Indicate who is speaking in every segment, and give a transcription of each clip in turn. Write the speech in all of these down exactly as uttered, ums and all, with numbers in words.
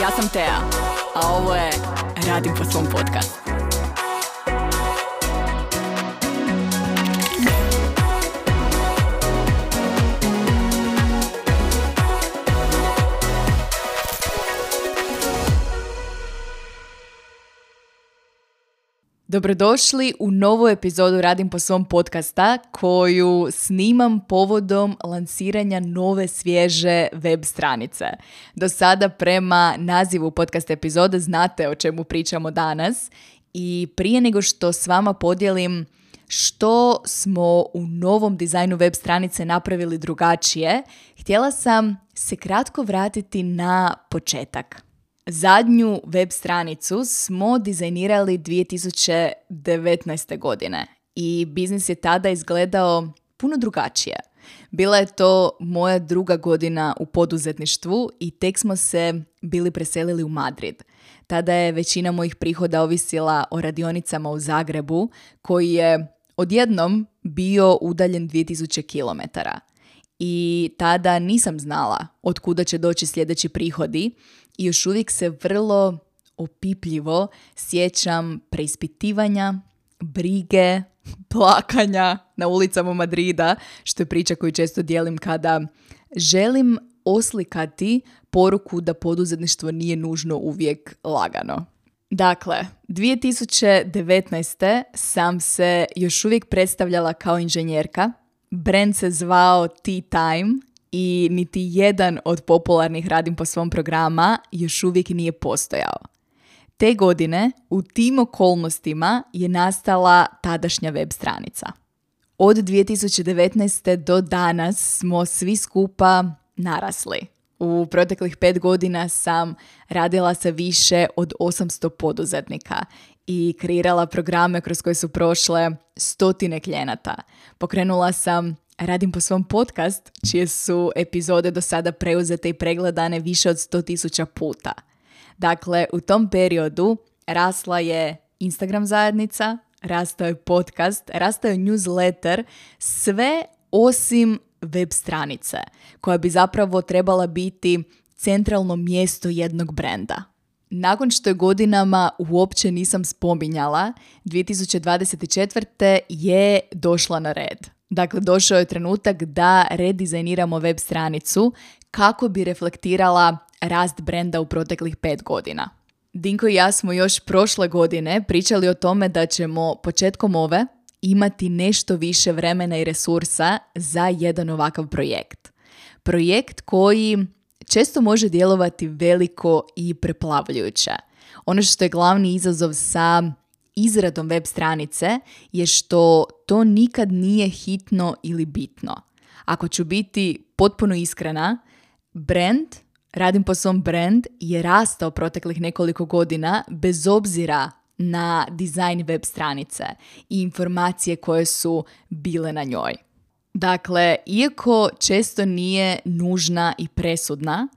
Speaker 1: Ja sam Tea, a ovo je Radim po svom podcastu. Dobrodošli u novu epizodu Radim po svom podcasta koju snimam povodom lansiranja nove svježe web stranice. Do sada prema nazivu podcast epizode znate o čemu pričamo danas i prije nego što s vama podijelim što smo u novom dizajnu web stranice napravili drugačije, htjela sam se kratko vratiti na početak. Zadnju web stranicu smo dizajnirali dvije tisuće devetnaeste. godine i biznis je tada izgledao puno drugačije. Bila je to moja druga godina u poduzetništvu i tek smo se bili preselili u Madrid. Tada je većina mojih prihoda ovisila o radionicama u Zagrebu, koji je odjednom bio udaljen dvije tisuće kilometara. I tada nisam znala od kuda će doći sljedeći prihodi i još uvijek se vrlo opipljivo sjećam preispitivanja, brige, plakanja na ulicama Madrida, što je priča koju često dijelim kada želim oslikati poruku da poduzetništvo nije nužno uvijek lagano. Dakle, dvije tisuće devetnaeste. sam se još uvijek predstavljala kao inženjerka. Brand se zvao Tea Time i niti jedan od popularnih Radim po svom programa još uvijek nije postojao. Te godine u tim okolnostima je nastala tadašnja web stranica. Od dvije tisuće devetnaeste. do danas smo svi skupa narasli. U proteklih pet godina sam radila sa više od osamsto poduzetnika i kreirala programe kroz koje su prošle stotine klijenata. Pokrenula sam Radim po svom podcast, čije su epizode do sada preuzete i pregledane više od sto tisuća puta. Dakle, u tom periodu rasla je Instagram zajednica, rastao je podcast, rastao je newsletter, sve osim web stranice, koja bi zapravo trebala biti centralno mjesto jednog brenda. Nakon što je godinama uopće nisam spominjala, dvije tisuće dvadeset četvrte. je došla na red. Dakle, došao je trenutak da redizajniramo web stranicu kako bi reflektirala rast brenda u proteklih pet godina. Dinko i ja smo još prošle godine pričali o tome da ćemo početkom ove imati nešto više vremena i resursa za jedan ovakav projekt. Projekt koji često može djelovati veliko i preplavljujuće. Ono što je glavni izazov sa izradom web stranice je što to nikad nije hitno ili bitno. Ako ću biti potpuno iskrena, brand, Radim po svom brand, je rastao proteklih nekoliko godina bez obzira na dizajn web stranice i informacije koje su bile na njoj. Dakle, iako često nije nužna i presudna,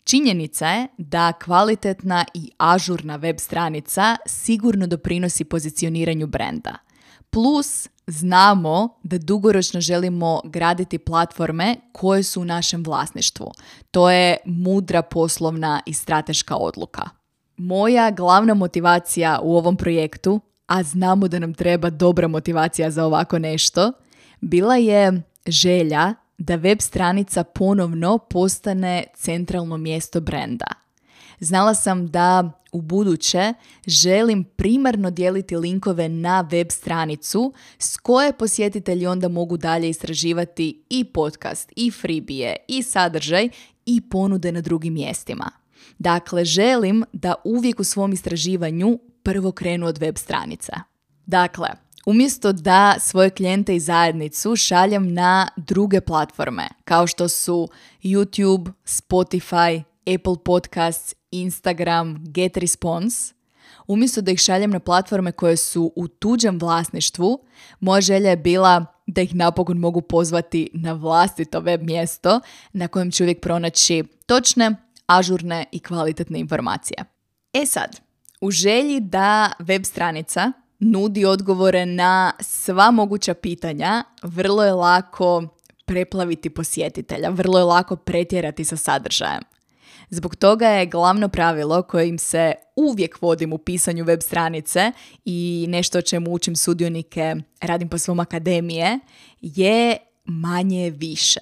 Speaker 1: činjenica je da kvalitetna i ažurna web stranica sigurno doprinosi pozicioniranju brenda. Plus, znamo da dugoročno želimo graditi platforme koje su u našem vlasništvu. To je mudra poslovna i strateška odluka. Moja glavna motivacija u ovom projektu, a znamo da nam treba dobra motivacija za ovako nešto, bila je želja da web stranica ponovno postane centralno mjesto brenda. Znala sam da u buduće želim primarno dijeliti linkove na web stranicu s koje posjetitelji onda mogu dalje istraživati i podcast, i freebie, i sadržaj, i ponude na drugim mjestima. Dakle, želim da uvijek u svom istraživanju prvo krenu od web stranica. Dakle, umjesto da svoje klijente i zajednicu šaljem na druge platforme, kao što su YouTube, Spotify, Apple Podcasts, Instagram, GetResponse, umjesto da ih šaljem na platforme koje su u tuđem vlasništvu, moja želja je bila da ih napokon mogu pozvati na vlastito web mjesto na kojem ću uvijek pronaći točne, ažurne i kvalitetne informacije. E sad, u želji da web stranica nudi odgovore na sva moguća pitanja, vrlo je lako preplaviti posjetitelja, vrlo je lako pretjerati sa sadržajem. Zbog toga je glavno pravilo kojim se uvijek vodim u pisanju web stranice i nešto o čemu učim sudionike Radim po svom akademije je manje više.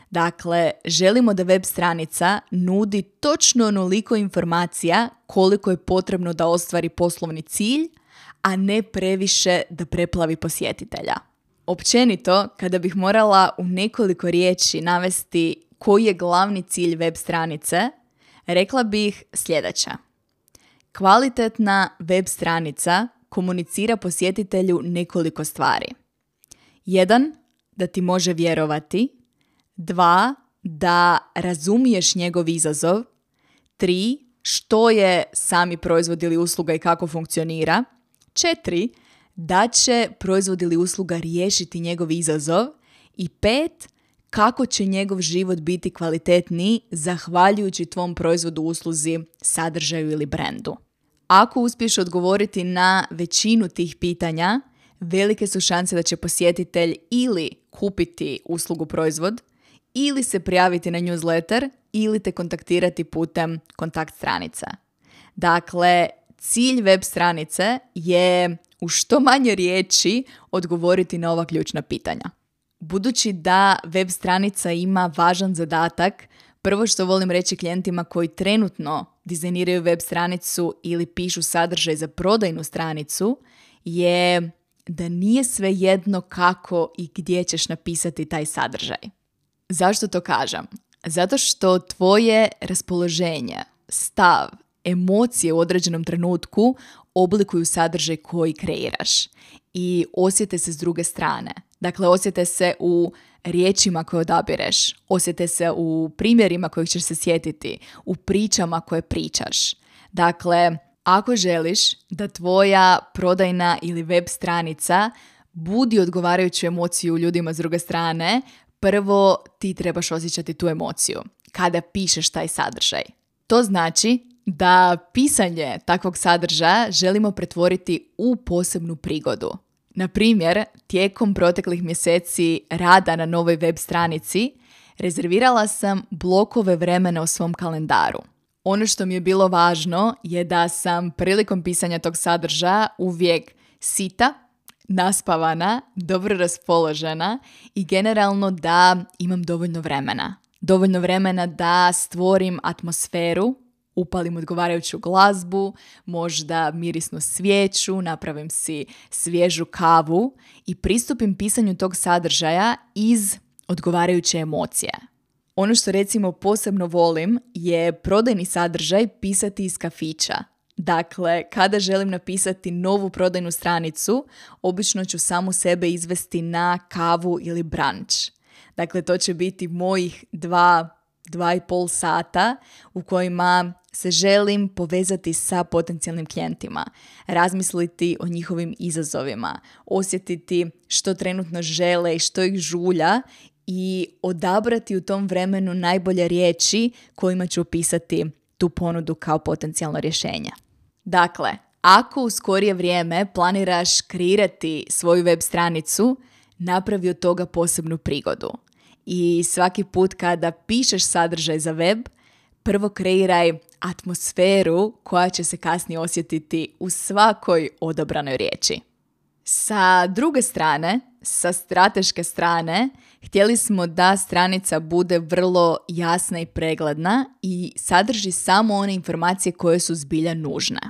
Speaker 1: Dakle, želimo da web stranica nudi točno onoliko informacija koliko je potrebno da ostvari poslovni cilj, a ne previše da preplavi posjetitelja. Općenito, kada bih morala u nekoliko riječi navesti koji je glavni cilj web stranice, rekla bih sljedeće. Kvalitetna web stranica komunicira posjetitelju nekoliko stvari. Jedan, da ti može vjerovati. Dva, da razumiješ njegov izazov. Tri, što je sami proizvod ili usluga i kako funkcionira. Četiri, da će proizvod ili usluga riješiti njegov izazov. I pet, kako će njegov život biti kvalitetniji zahvaljujući tvom proizvodu, usluzi, sadržaju ili brendu. Ako uspiješ odgovoriti na većinu tih pitanja, velike su šanse da će posjetitelj ili kupiti uslugu, proizvod, ili se prijaviti na newsletter, ili te kontaktirati putem kontakt stranica. Dakle, cilj web stranice je u što manje riječi odgovoriti na ova ključna pitanja. Budući da web stranica ima važan zadatak, prvo što volim reći klijentima koji trenutno dizajniraju web stranicu ili pišu sadržaj za prodajnu stranicu je da nije svejedno kako i gdje ćeš napisati taj sadržaj. Zašto to kažem? Zato što tvoje raspoloženje, stav, emocije u određenom trenutku oblikuju sadržaj koji kreiraš i osjete se s druge strane. Dakle, osjete se u riječima koje odabireš, osjete se u primjerima kojih ćeš se sjetiti, u pričama koje pričaš. Dakle, ako želiš da tvoja prodajna ili web stranica budi odgovarajuću emociju ljudima s druge strane, prvo ti trebaš osjećati tu emociju kada pišeš taj sadržaj. To znači da pisanje takvog sadržaja želimo pretvoriti u posebnu prigodu. Na primjer, tijekom proteklih mjeseci rada na novoj web stranici rezervirala sam blokove vremena u svom kalendaru. Ono što mi je bilo važno je da sam prilikom pisanja tog sadržaja uvijek sita, naspavana, dobro raspoložena i generalno da imam dovoljno vremena. Dovoljno vremena da stvorim atmosferu, upalim odgovarajuću glazbu, možda mirisnu svijeću, napravim si svježu kavu i pristupim pisanju tog sadržaja iz odgovarajuće emocije. Ono što recimo posebno volim je prodajni sadržaj pisati iz kafića. Dakle, kada želim napisati novu prodajnu stranicu, obično ću samu sebe izvesti na kavu ili brunch. Dakle, to će biti mojih dva, dva i pol sata u kojima se želim povezati sa potencijalnim klijentima, razmisliti o njihovim izazovima, osjetiti što trenutno žele i što ih žulja i odabrati u tom vremenu najbolje riječi kojima ću opisati tu ponudu kao potencijalno rješenje. Dakle, ako u skorije vrijeme planiraš kreirati svoju web stranicu, napravi od toga posebnu prigodu. I svaki put kada pišeš sadržaj za web, prvo kreiraj atmosferu koja će se kasnije osjetiti u svakoj odabranoj riječi. Sa druge strane, sa strateške strane, htjeli smo da stranica bude vrlo jasna i pregledna i sadrži samo one informacije koje su zbilja nužne.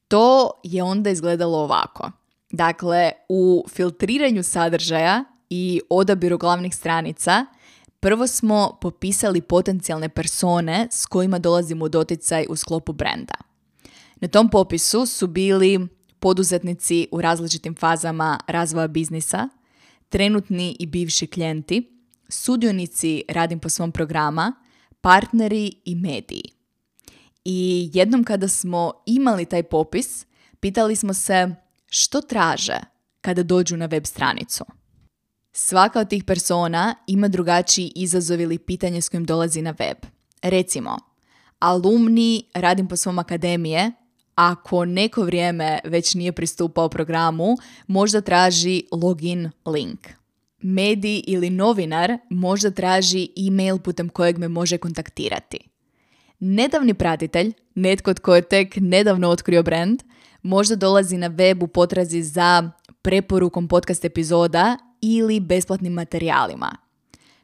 Speaker 1: To je onda izgledalo ovako. Dakle, u filtriranju sadržaja i odabiru glavnih stranica, prvo smo popisali potencijalne persone s kojima dolazimo u doticaj u sklopu brenda. Na tom popisu su bili poduzetnici u različitim fazama razvoja biznisa, trenutni i bivši klijenti, sudionici Radim po svom programa, partneri i mediji. I jednom kada smo imali taj popis, pitali smo se što traže kada dođu na web stranicu. Svaka od tih persona ima drugačiji izazov ili pitanje s kojim dolazi na web. Recimo, alumni Radim po svom akademije, ako neko vrijeme već nije pristupao programu, možda traži login link. Medij ili novinar možda traži e-mail putem kojeg me može kontaktirati. Nedavni pratitelj, netko tko je tek nedavno otkrio brand, možda dolazi na web u potrazi za preporukom podcast epizoda ili besplatnim materijalima.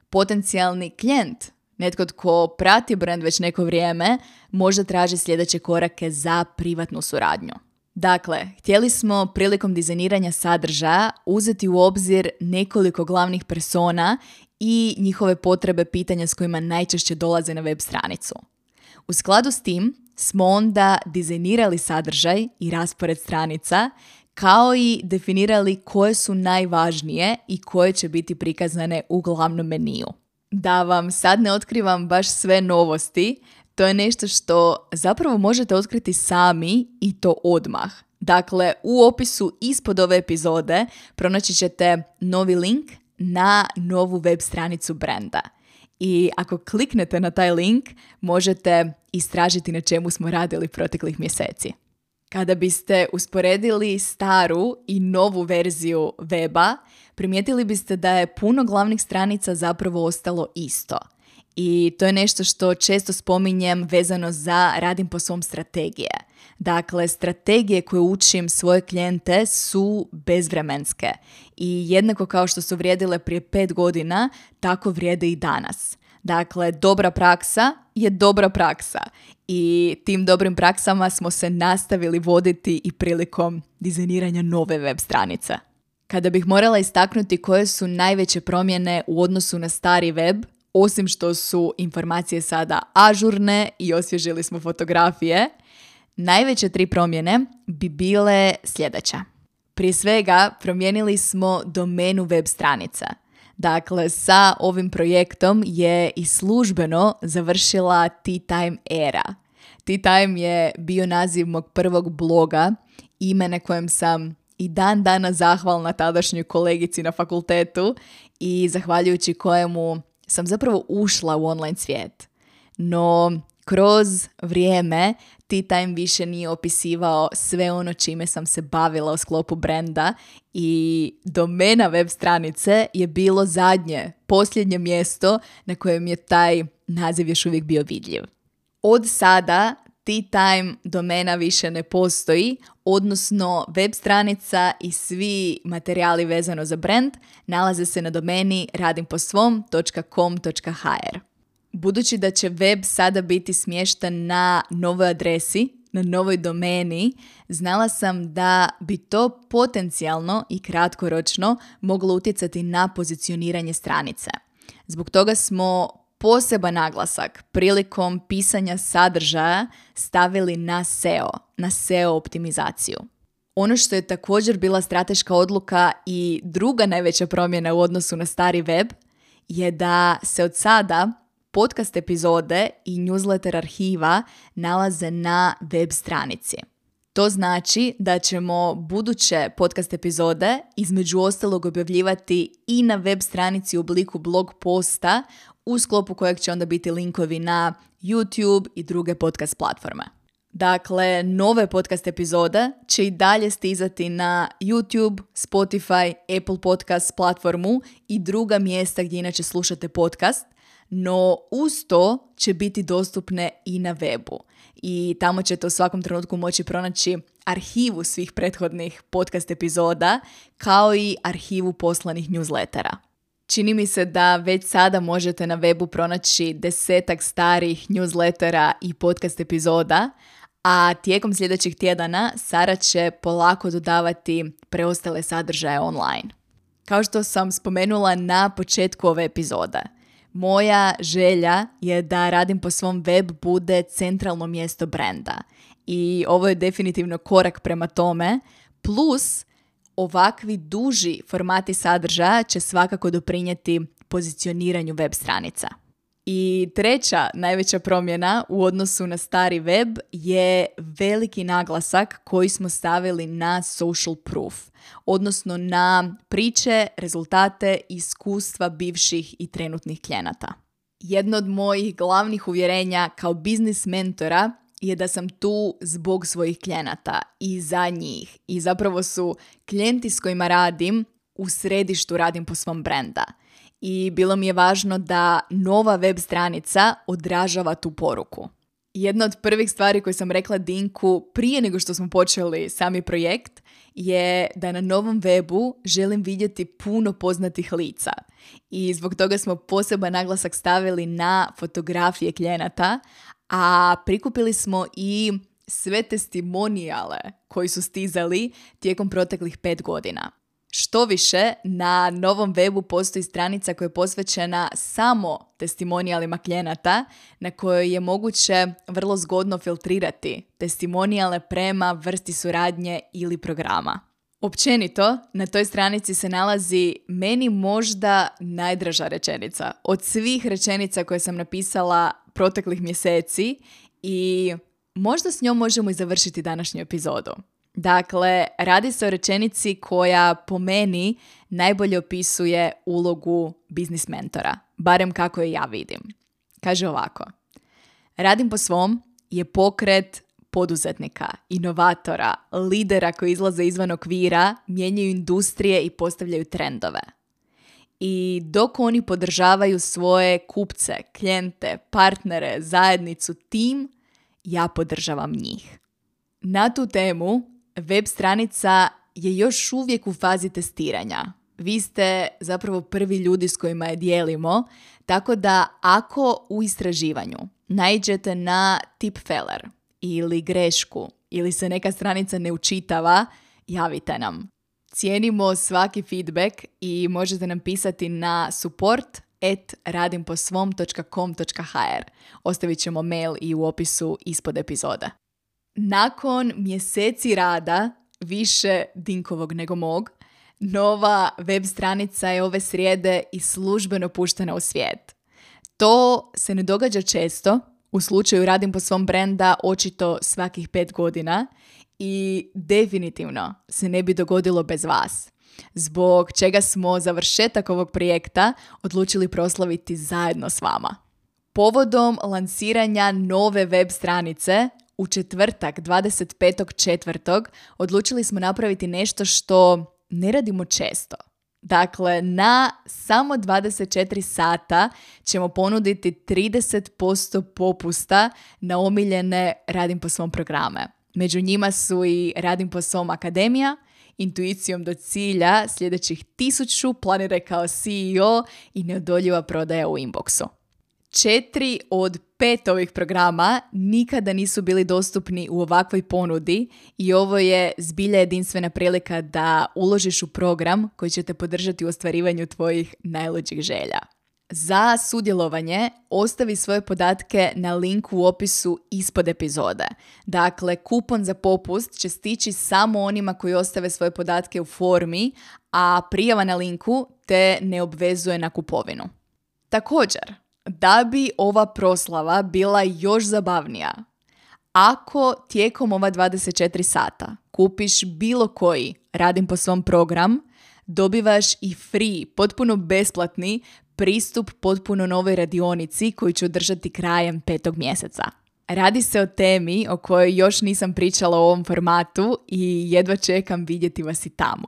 Speaker 1: Potencijalni klijent, netko tko prati brand već neko vrijeme, možda traži sljedeće korake za privatnu suradnju. Dakle, htjeli smo prilikom dizajniranja sadržaja uzeti u obzir nekoliko glavnih persona i njihove potrebe, pitanja s kojima najčešće dolaze na web stranicu. U skladu s tim smo onda dizajnirali sadržaj i raspored stranica, kao i definirali koje su najvažnije i koje će biti prikazane u glavnom meniju. Da vam sad ne otkrivam baš sve novosti, to je nešto što zapravo možete otkriti sami i to odmah. Dakle, u opisu ispod ove epizode pronaći ćete novi link na novu web stranicu brenda. I ako kliknete na taj link, možete istražiti na čemu smo radili proteklih mjeseci. Kada biste usporedili staru i novu verziju weba, primijetili biste da je puno glavnih stranica zapravo ostalo isto. I to je nešto što često spominjem vezano za radim po svom strategije. Dakle, strategije koje učim svoje klijente su bezvremenske i jednako kao što su vrijedile prije pet godina, tako vrijede i danas. Dakle, dobra praksa je dobra praksa i tim dobrim praksama smo se nastavili voditi i prilikom dizajniranja nove web stranice. Kada bih morala istaknuti koje su najveće promjene u odnosu na stari web, osim što su informacije sada ažurne i osvježili smo fotografije, najveće tri promjene bi bile sljedeće. Prije svega, promijenili smo domenu web stranica. Dakle, sa ovim projektom je i službeno završila Tea Time era. Tea Time je bio naziv mog prvog bloga, ime na kojem sam i dan dana zahvalna tadašnjoj kolegici na fakultetu i zahvaljujući kojemu sam zapravo ušla u online svijet. No, kroz vrijeme Tea Time više nije opisivao sve ono čime sam se bavila u sklopu brenda i domena web stranice je bilo zadnje, posljednje mjesto na kojem je taj naziv još uvijek bio vidljiv. Od sada Tea Time domena više ne postoji, odnosno web stranica i svi materijali vezano za brand nalaze se na domeni radim po svom točka com točka ha er. Budući da će web sada biti smješten na novoj adresi, na novoj domeni, znala sam da bi to potencijalno i kratkoročno moglo utjecati na pozicioniranje stranice. Zbog toga smo poseban naglasak prilikom pisanja sadržaja stavili na S E O, na S E O optimizaciju. Ono što je također bila strateška odluka i druga najveća promjena u odnosu na stari web je da se od sada podcast epizode i newsletter arhiva nalaze na web stranici. To znači da ćemo buduće podcast epizode između ostalog objavljivati i na web stranici u obliku blog posta u sklopu kojeg će onda biti linkovi na YouTube i druge podcast platforme. Dakle, nove podcast epizode će i dalje stizati na YouTube, Spotify, Apple Podcast platformu i druga mjesta gdje inače slušate podcast, no uz to će biti dostupne i na webu. I tamo ćete u svakom trenutku moći pronaći arhivu svih prethodnih podcast epizoda, kao i arhivu poslanih newslettera. Čini mi se da već sada možete na webu pronaći desetak starih newslettera i podcast epizoda, a tijekom sljedećih tjedana Sara će polako dodavati preostale sadržaje online. Kao što sam spomenula na početku ove epizode, moja želja je da radim po svom web bude centralno mjesto brenda i ovo je definitivno korak prema tome, plus ovakvi duži formati sadržaja će svakako doprinijeti pozicioniranju web stranica. I treća najveća promjena u odnosu na stari web je veliki naglasak koji smo stavili na social proof, odnosno na priče, rezultate, iskustva bivših i trenutnih klijenata. Jedno od mojih glavnih uvjerenja kao biznis mentora je da sam tu zbog svojih klijenata i za njih. I zapravo su klijenti s kojima radim u središtu Radim po svom brenda. I bilo mi je važno da nova web stranica odražava tu poruku. Jedna od prvih stvari koje sam rekla Dinku prije nego što smo počeli sami projekt je da na novom webu želim vidjeti puno poznatih lica. I zbog toga smo poseban naglasak stavili na fotografije klijenata, a prikupili smo i sve testimonijale koji su stizali tijekom proteklih pet godina. Što više, na novom webu postoji stranica koja je posvećena samo testimonijalima klijenata na kojoj je moguće vrlo zgodno filtrirati testimonijale prema vrsti suradnje ili programa. Općenito, na toj stranici se nalazi meni možda najdraža rečenica od svih rečenica koje sam napisala proteklih mjeseci i možda s njom možemo i završiti današnju epizodu. Dakle, radi se o rečenici koja po meni najbolje opisuje ulogu biznis mentora, barem kako je ja vidim. Kaže ovako: Radim po svom je pokret poduzetnika, inovatora, lidera koji izlaze izvan okvira, mijenjaju industrije i postavljaju trendove. I dok oni podržavaju svoje kupce, klijente, partnere, zajednicu, tim, ja podržavam njih. Na tu temu web stranica je još uvijek u fazi testiranja. Vi ste zapravo prvi ljudi s kojima je dijelimo, tako da ako u istraživanju naiđete na tipfeler ili grešku ili se neka stranica ne učitava, javite nam. Cijenimo svaki feedback i možete nam pisati na support at radimposvom dot com dot h r. Ostavit ćemo mail i u opisu ispod epizode. Nakon mjeseci rada, više Dinkovog nego mog, nova web stranica je ove srijede i službeno puštena u svijet. To se ne događa često, u slučaju Radim po svom brenda očito svakih pet godina i definitivno se ne bi dogodilo bez vas. Zbog čega smo završetak ovog projekta odlučili proslaviti zajedno s vama. Povodom lansiranja nove web stranice, u četvrtak, dvadeset petog četvrtog odlučili smo napraviti nešto što ne radimo često. Dakle, na samo dvadeset četiri sata ćemo ponuditi trideset posto popusta na omiljene Radim po svom programe. Među njima su i Radim po svom akademija, Intuicijom do cilja, sljedećih tisuću, planiraj kao C E O i neodoljiva prodaja u inboxu. Četiri od pet ovih programa nikada nisu bili dostupni u ovakvoj ponudi i ovo je zbilja jedinstvena prilika da uložiš u program koji će te podržati u ostvarivanju tvojih najluđih želja. Za sudjelovanje ostavi svoje podatke na linku u opisu ispod epizode. Dakle, kupon za popust će stići samo onima koji ostave svoje podatke u formi, a prijava na linku te ne obvezuje na kupovinu. Također, da bi ova proslava bila još zabavnija, ako tijekom ova dvadeset četiri sata kupiš bilo koji Radim po svom program, dobivaš i free, potpuno besplatni pristup potpuno novoj radionici koju ću održati krajem petog mjeseca. Radi se o temi o kojoj još nisam pričala u ovom formatu i jedva čekam vidjeti vas i tamo.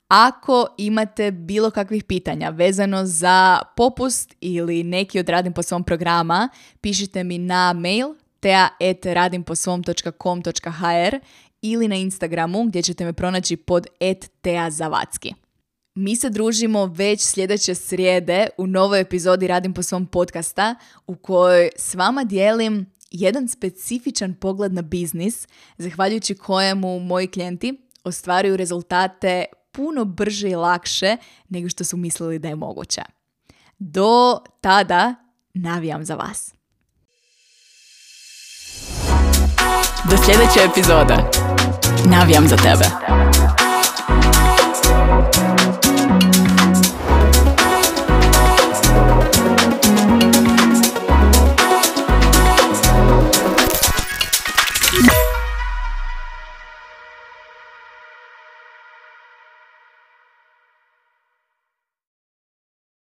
Speaker 1: Ako imate bilo kakvih pitanja vezano za popust ili neki od Radim po svom programa, pišite mi na mail tea at radimposvom dot com dot h r ili na Instagramu gdje ćete me pronaći pod at teazavacki. Mi se družimo već sljedeće srijede u novoj epizodi Radim po svom podcasta u kojoj s vama dijelim jedan specifičan pogled na biznis, zahvaljujući kojemu moji klijenti ostvaruju rezultate puno brže i lakše nego što su mislili da je moguće. Do tada navijam za vas. Do sljedeće epizode. Navijam za tebe.